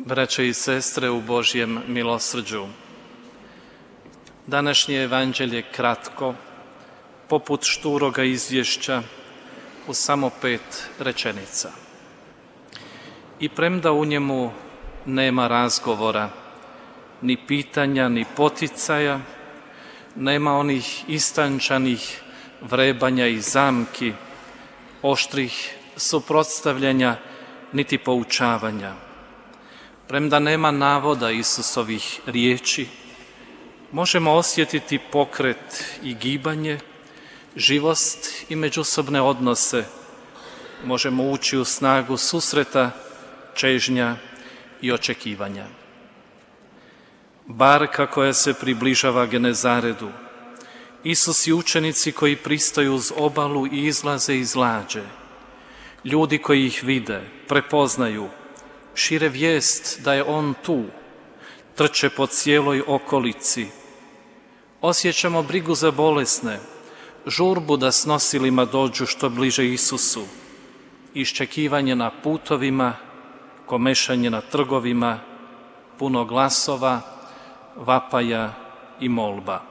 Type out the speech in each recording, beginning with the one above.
Braće i sestre u Božjem milosrđu, današnje evanđelje kratko, poput šturoga izvješća u samo 5 rečenica. I premda u njemu nema razgovora, ni pitanja, ni poticaja, nema onih istančanih vrebanja i zamki, oštrih suprotstavljanja, niti poučavanja. Premda nema navoda Isusovih riječi, možemo osjetiti pokret i gibanje, živost i međusobne odnose. Možemo ući u snagu susreta, čežnja i očekivanja. Barka koja se približava Genezaredu, Isus i učenici koji pristaju uz obalu i izlaze iz lađe, ljudi koji ih vide, prepoznaju, šire vijest da je On tu, trče po cijeloj okolici. Osjećamo brigu za bolesne, žurbu da s nosilima dođu što bliže Isusu, iščekivanje na putovima, komešanje na trgovima, puno glasova, vapaja i molba.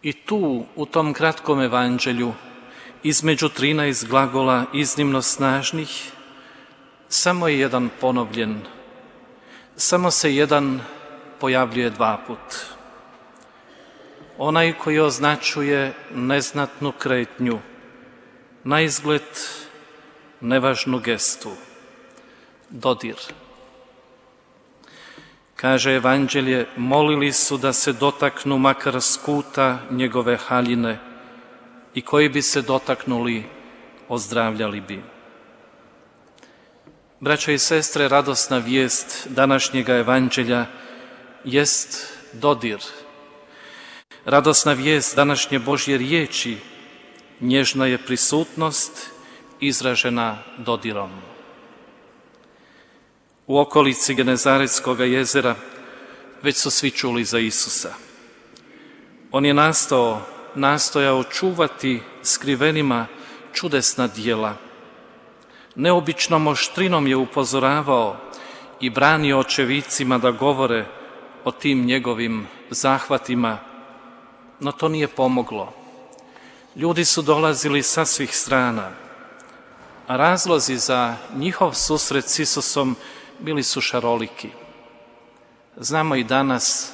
I tu, u tom kratkom evanđelju, između 13 glagola iznimno snažnih, samo je jedan ponovljen, samo se jedan pojavljuje 2 put. Onaj koji označuje neznatnu kretnju, naizgled nevažnu gestu, dodir. Kaže evanđelje, molili su da se dotaknu makar skuta njegove haljine i koji bi se dotaknuli, ozdravljali bi. Braćo i sestre, radosna vijest današnjega evanđelja jest dodir. Radosna vijest današnje Božje riječi nježna je prisutnost izražena dodirom. U okolici Genezaretskog jezera već su svi čuli za Isusa. On je nastojao čuvati skrivenima čudesna djela. Neobičnom oštrinom je upozoravao i branio očevicima da govore o tim njegovim zahvatima, no to nije pomoglo. Ljudi su dolazili sa svih strana, a razlozi za njihov susret s Isusom bili su šaroliki. Znamo i danas,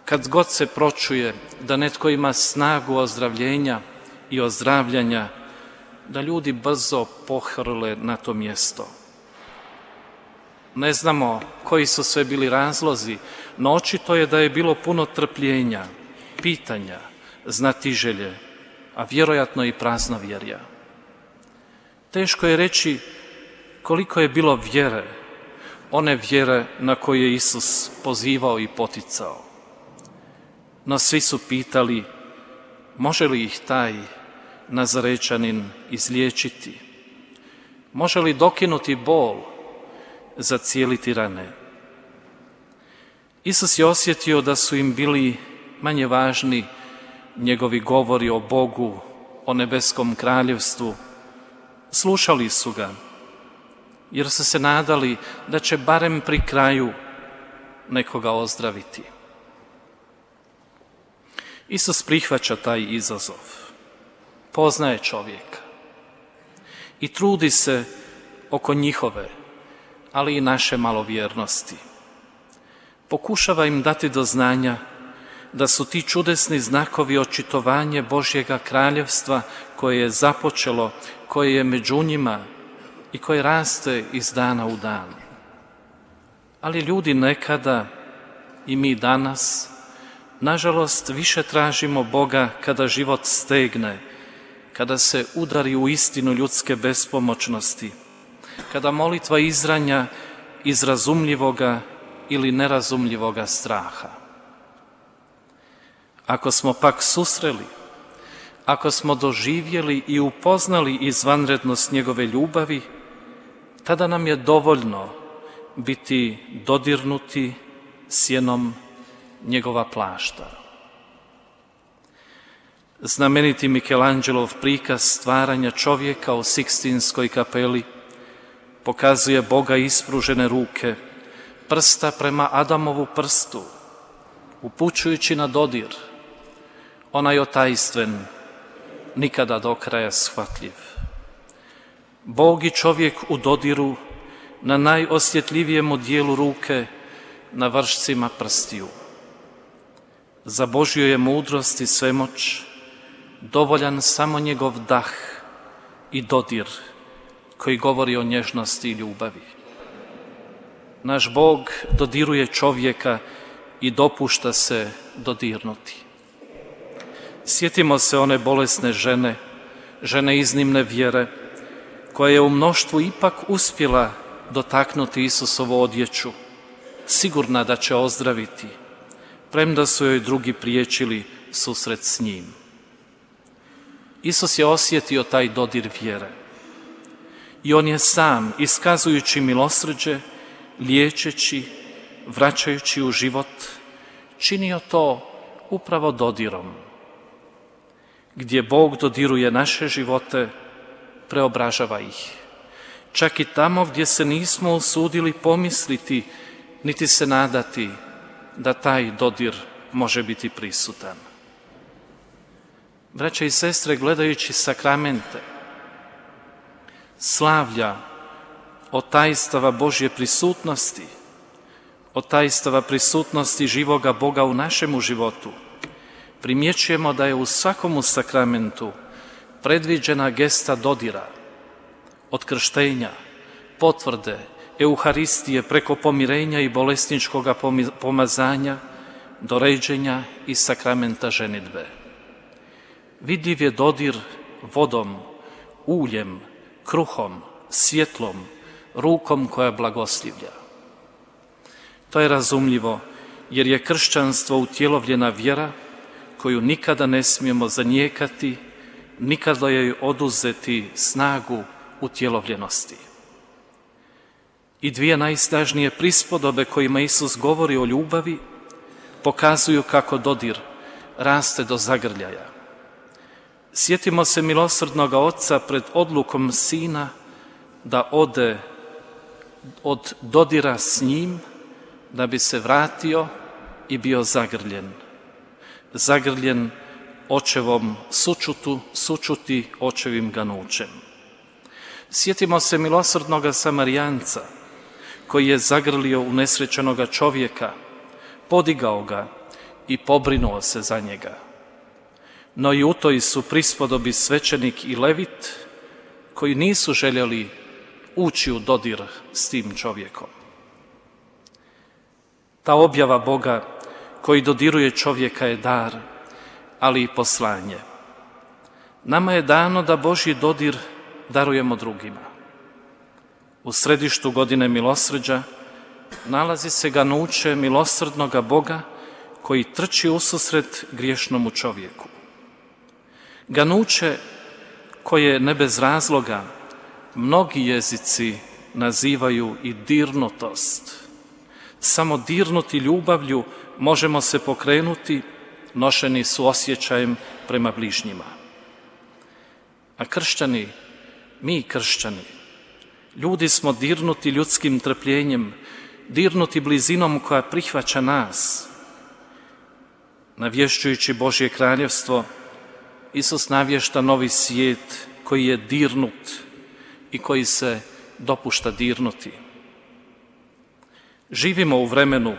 kad god se pročuje da netko ima snagu ozdravljenja i ozdravljanja, da ljudi brzo pohrle na to mjesto. Ne znamo koji su sve bili razlozi, no očito je da je bilo puno trpljenja, pitanja, znatiželje, a vjerojatno i praznovjerja. Teško je reći koliko je bilo vjere, one vjere na koje je Isus pozivao i poticao. No svi su pitali, može li ih taj Nazarečanin izliječiti? Može li dokinuti bol, zacijeliti rane? Isus je osjetio da su im bili manje važni njegovi govori o Bogu, o nebeskom kraljevstvu. Slušali su ga, jer su se nadali da će barem pri kraju nekoga ozdraviti. Isus prihvaća taj izazov, poznaje čovjeka i trudi se oko njihove, ali i naše malovjernosti. Pokušava im dati do znanja da su ti čudesni znakovi očitovanje Božjega kraljevstva koje je započelo, koje je među njima i koje raste iz dana u dan. Ali ljudi nekada i mi danas, nažalost, više tražimo Boga kada život stegne, kada se udari u istinu ljudske bespomoćnosti, kada molitva izranja iz razumljivoga ili nerazumljivoga straha. Ako smo pak susreli, ako smo doživjeli i upoznali izvanrednost njegove ljubavi, tada nam je dovoljno biti dodirnuti sjenom njegova plašta. Znameniti Michelanghelov prikaz stvaranja čovjeka u Sikstinskoj kapeli pokazuje Boga ispružene ruke, prsta prema Adamovu prstu, upućujući na dodir, onaj otajstven, nikada do kraja shvatljiv. Bog i čovjek u dodiru, na najosjetljivijemu dijelu ruke, na vršcima prstiju. Za Božju je mudrost i svemoć dovoljan samo njegov dah i dodir koji govori o nježnosti i ljubavi. Naš Bog dodiruje čovjeka i dopušta se dodirnuti. Sjetimo se one bolesne žene, žene iznimne vjere, koja je u mnoštvu ipak uspjela dotaknuti Isusovu odjeću, sigurna da će ozdraviti, premda su joj drugi priječili susret s njim. Isus je osjetio taj dodir vjere i on je sam, iskazujući milosrđe, liječeći, vraćajući u život, činio to upravo dodirom. Gdje Bog dodiruje naše živote, preobražava ih. Čak i tamo gdje se nismo usudili pomisliti, niti se nadati da taj dodir može biti prisutan. Braća i sestre, gledajući sakramente, slavlja otajstava Božje prisutnosti, otajstava prisutnosti živoga Boga u našemu životu, primjećujemo da je u svakomu sakramentu predviđena gesta dodira, od krštenja, potvrde, Euharistije preko pomirenja i bolesničkoga pomazanja do ređenja i sakramenta ženidbe. Vidljiv je dodir vodom, uljem, kruhom, svjetlom, rukom koja blagoslivlja. To je razumljivo jer je kršćanstvo utjelovljena vjera koju nikada ne smijemo zanijekati, nikada joj oduzeti snagu utjelovljenosti. I dvije najsnažnije prispodobe kojima Isus govori o ljubavi pokazuju kako dodir raste do zagrljaja. Sjetimo se milosrdnoga oca pred odlukom sina da ode od dodira s njim da bi se vratio i bio zagrljen. Zagrljen očevom sučuti očevim ganućem. Sjetimo se milosrdnoga Samarijanca koji je zagrlio unesrećenoga čovjeka, podigao ga i pobrinuo se za njega. No i u toj su prispodobi svećenik i levit koji nisu željeli ući u dodir s tim čovjekom. Ta objava Boga koji dodiruje čovjeka je dar, ali i poslanje. Nama je dano da Božji dodir darujemo drugima. U središtu godine milosrđa nalazi se ganuće milosrdnoga Boga koji trči ususret griješnomu čovjeku. Ganuće koje ne bez razloga mnogi jezici nazivaju i dirnutost. Samo dirnuti ljubavlju možemo se pokrenuti, nošeni su osjećajem prema bližnjima. A kršćani, mi kršćani, ljudi smo dirnuti ljudskim trpljenjem, dirnuti blizinom koja prihvaća nas. Navješćujući Božje kraljevstvo, Isus navješta novi svijet koji je dirnut i koji se dopušta dirnuti. Živimo u vremenu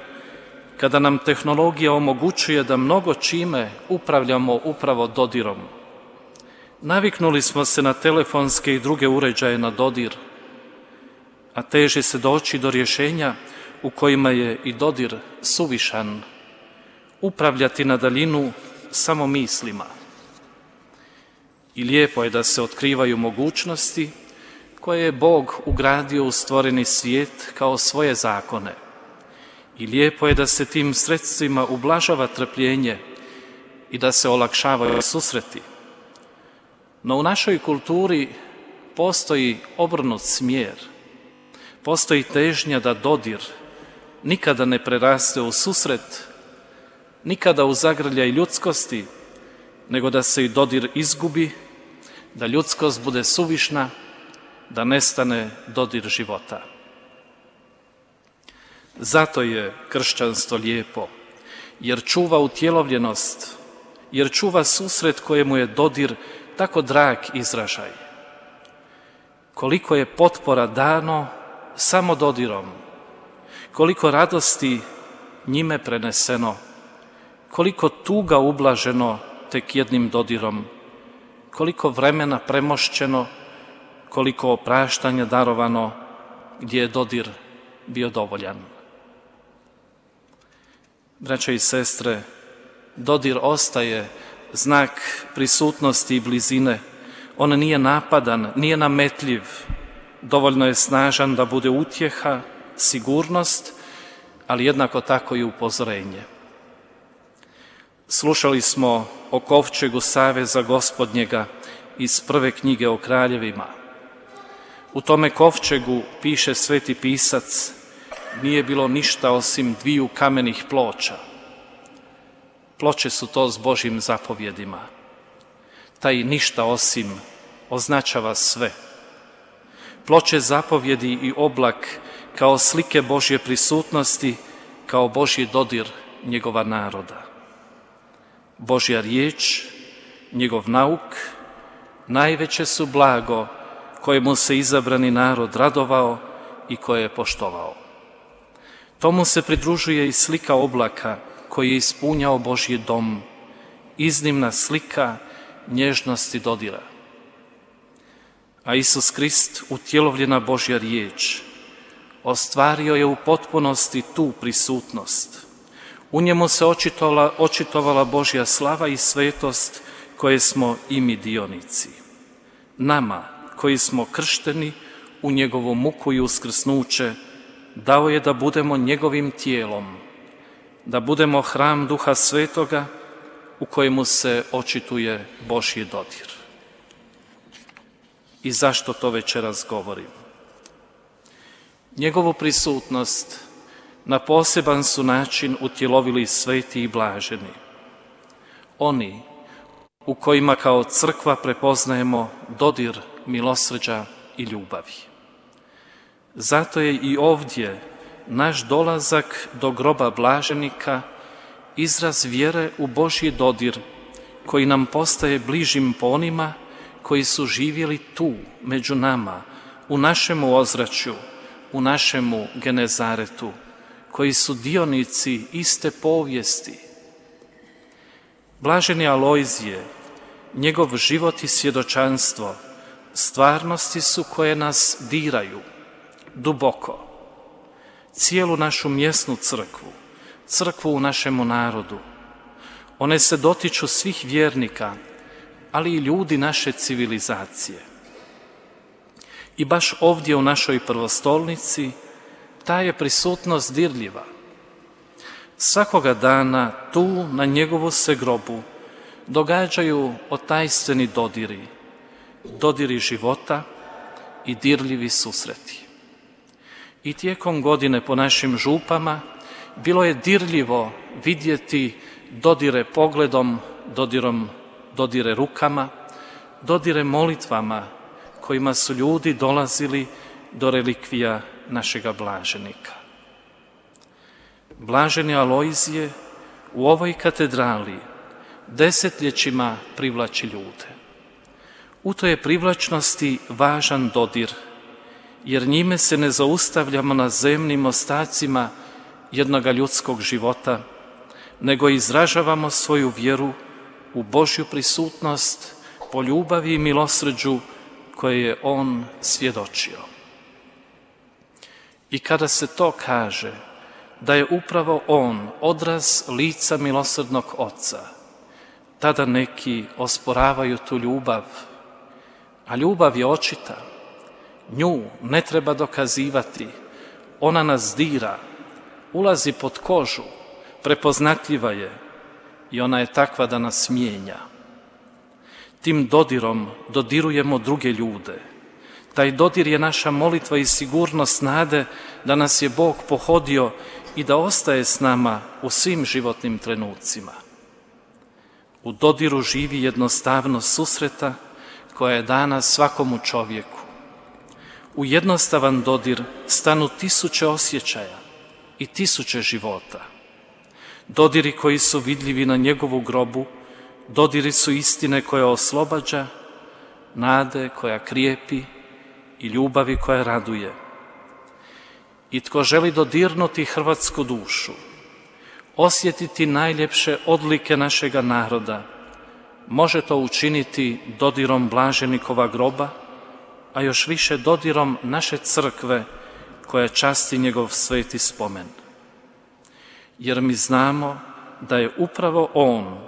kada nam tehnologija omogućuje da mnogo čime upravljamo upravo dodirom. Naviknuli smo se na telefonske i druge uređaje na dodir, a teži se doći do rješenja u kojima je i dodir suvišan, upravljati na daljinu samo mislima. I lijepo je da se otkrivaju mogućnosti koje je Bog ugradio u stvoreni svijet kao svoje zakone. I lijepo je da se tim sredstvima ublažava trpljenje i da se olakšavaju susreti. No u našoj kulturi postoji obrnut smjer. Postoji težnja da dodir nikada ne preraste u susret, nikada u zagrljaj ljudskosti, nego da se i dodir izgubi, da ljudskost bude suvišna da nestane dodir života. Zato je kršćanstvo lijepo, jer čuva utjelovljenost, jer čuva susret kojemu je dodir tako drag izražaj. Koliko je potpora dano samo dodirom, koliko radosti njime preneseno, koliko tuga ublaženo tek jednim dodirom, koliko vremena premošćeno, koliko opraštanja darovano gdje je dodir bio dovoljan. Braće i sestre, dodir ostaje znak prisutnosti i blizine. On nije napadan, nije nametljiv, dovoljno je snažan da bude utjeha, sigurnost, ali jednako tako i upozorenje. Slušali smo o kovčegu saveza Gospodnjega iz prve knjige o kraljevima. U tome kovčegu, piše sveti pisac, nije bilo ništa osim 2 kamenih ploča. Ploče su to s Božjim zapovjedima. Taj ništa osim označava sve. Ploče zapovjedi i oblak kao slike Božje prisutnosti, kao Božji dodir njegova naroda. Božja riječ, njegov nauk, najveće su blago kojemu se izabrani narod radovao i koje je poštovao. Tomu se pridružuje i slika oblaka koji je ispunjao Božji dom, iznimna slika nježnosti dodira. A Isus Krist, utjelovljena Božja riječ, ostvario je u potpunosti tu prisutnost. U njemu se očitovala Božja slava i svetost koje smo i mi dionici. Nama, koji smo kršteni u njegovu muku i uskrsnuće, dao je da budemo njegovim tijelom, da budemo hram Duha Svetoga u kojemu se očituje Božji dodir. I zašto to večeras govorim? Njegovu prisutnost na poseban su način utjelovili sveti i blaženi. Oni u kojima kao crkva prepoznajemo dodir milosrđa i ljubavi. Zato je i ovdje naš dolazak do groba blaženika izraz vjere u Božji dodir koji nam postaje bližim po onima koji su živjeli tu, među nama, u našemu ozračju, u našemu Genezaretu, koji su dionici iste povijesti. Blaženi Alojzije, njegov život i svjedočanstvo stvarnosti su koje nas diraju duboko. Cijelu našu mjesnu crkvu, crkvu u našemu narodu. One se dotiču svih vjernika, ali i ljudi naše civilizacije. I baš ovdje u našoj prvostolnici ta je prisutnost dirljiva. Svakoga dana tu na njegovu se grobu događaju otajstveni dodiri, dodiri života i dirljivi susreti. I tijekom godine po našim župama bilo je dirljivo vidjeti dodire pogledom, dodire rukama, dodire molitvama kojima su ljudi dolazili do relikvija našega blaženika. Blaženi Alojzije u ovoj katedrali desetljećima privlači ljude. U toj je privlačnosti važan dodir, jer njime se ne zaustavljamo na zemnim ostacima jednoga ljudskog života, nego izražavamo svoju vjeru u Božju prisutnost po ljubavi i milosrđu koje je On svjedočio. I kada se to kaže, da je upravo On odraz lica milosrdnog Oca, tada neki osporavaju tu ljubav, a ljubav je očita. Nju ne treba dokazivati, ona nas dira, ulazi pod kožu, prepoznatljiva je i ona je takva da nas mijenja. Tim dodirom dodirujemo druge ljude. Taj dodir je naša molitva i sigurnost nade da nas je Bog pohodio i da ostaje s nama u svim životnim trenucima. U dodiru živi jednostavnost susreta koja je dana svakomu čovjeku. u jednostavan dodir stanu tisuće osjećaja i tisuće života. Dodiri koji su vidljivi na njegovu grobu, dodiri su istine koja oslobađa, nade koja krijepi i ljubavi koja raduje. I tko želi dodirnuti hrvatsku dušu, osjetiti najljepše odlike našega naroda, može to učiniti dodirom blaženikova groba, a još više dodirom naše crkve koja časti njegov sveti spomen. Jer mi znamo da je upravo on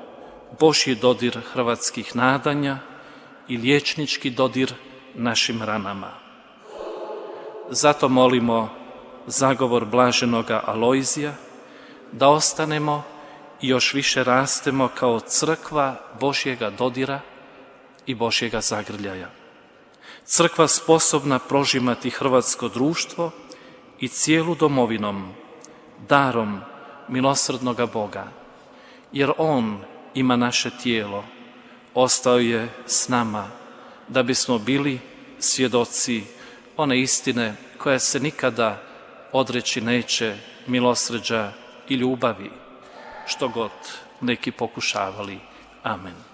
Božji dodir hrvatskih nadanja i liječnički dodir našim ranama. Zato molimo zagovor blaženoga Alojzija da ostanemo i još više rastemo kao crkva Božjega dodira i Božjega zagrljaja. Crkva sposobna prožimati hrvatsko društvo i cijelu domovinom, darom milosrdnoga Boga, jer On ima naše tijelo, ostao je s nama da bismo bili svjedoci one istine koja se nikada odreći neće, milosrđa i ljubavi, što god neki pokušavali. Amen.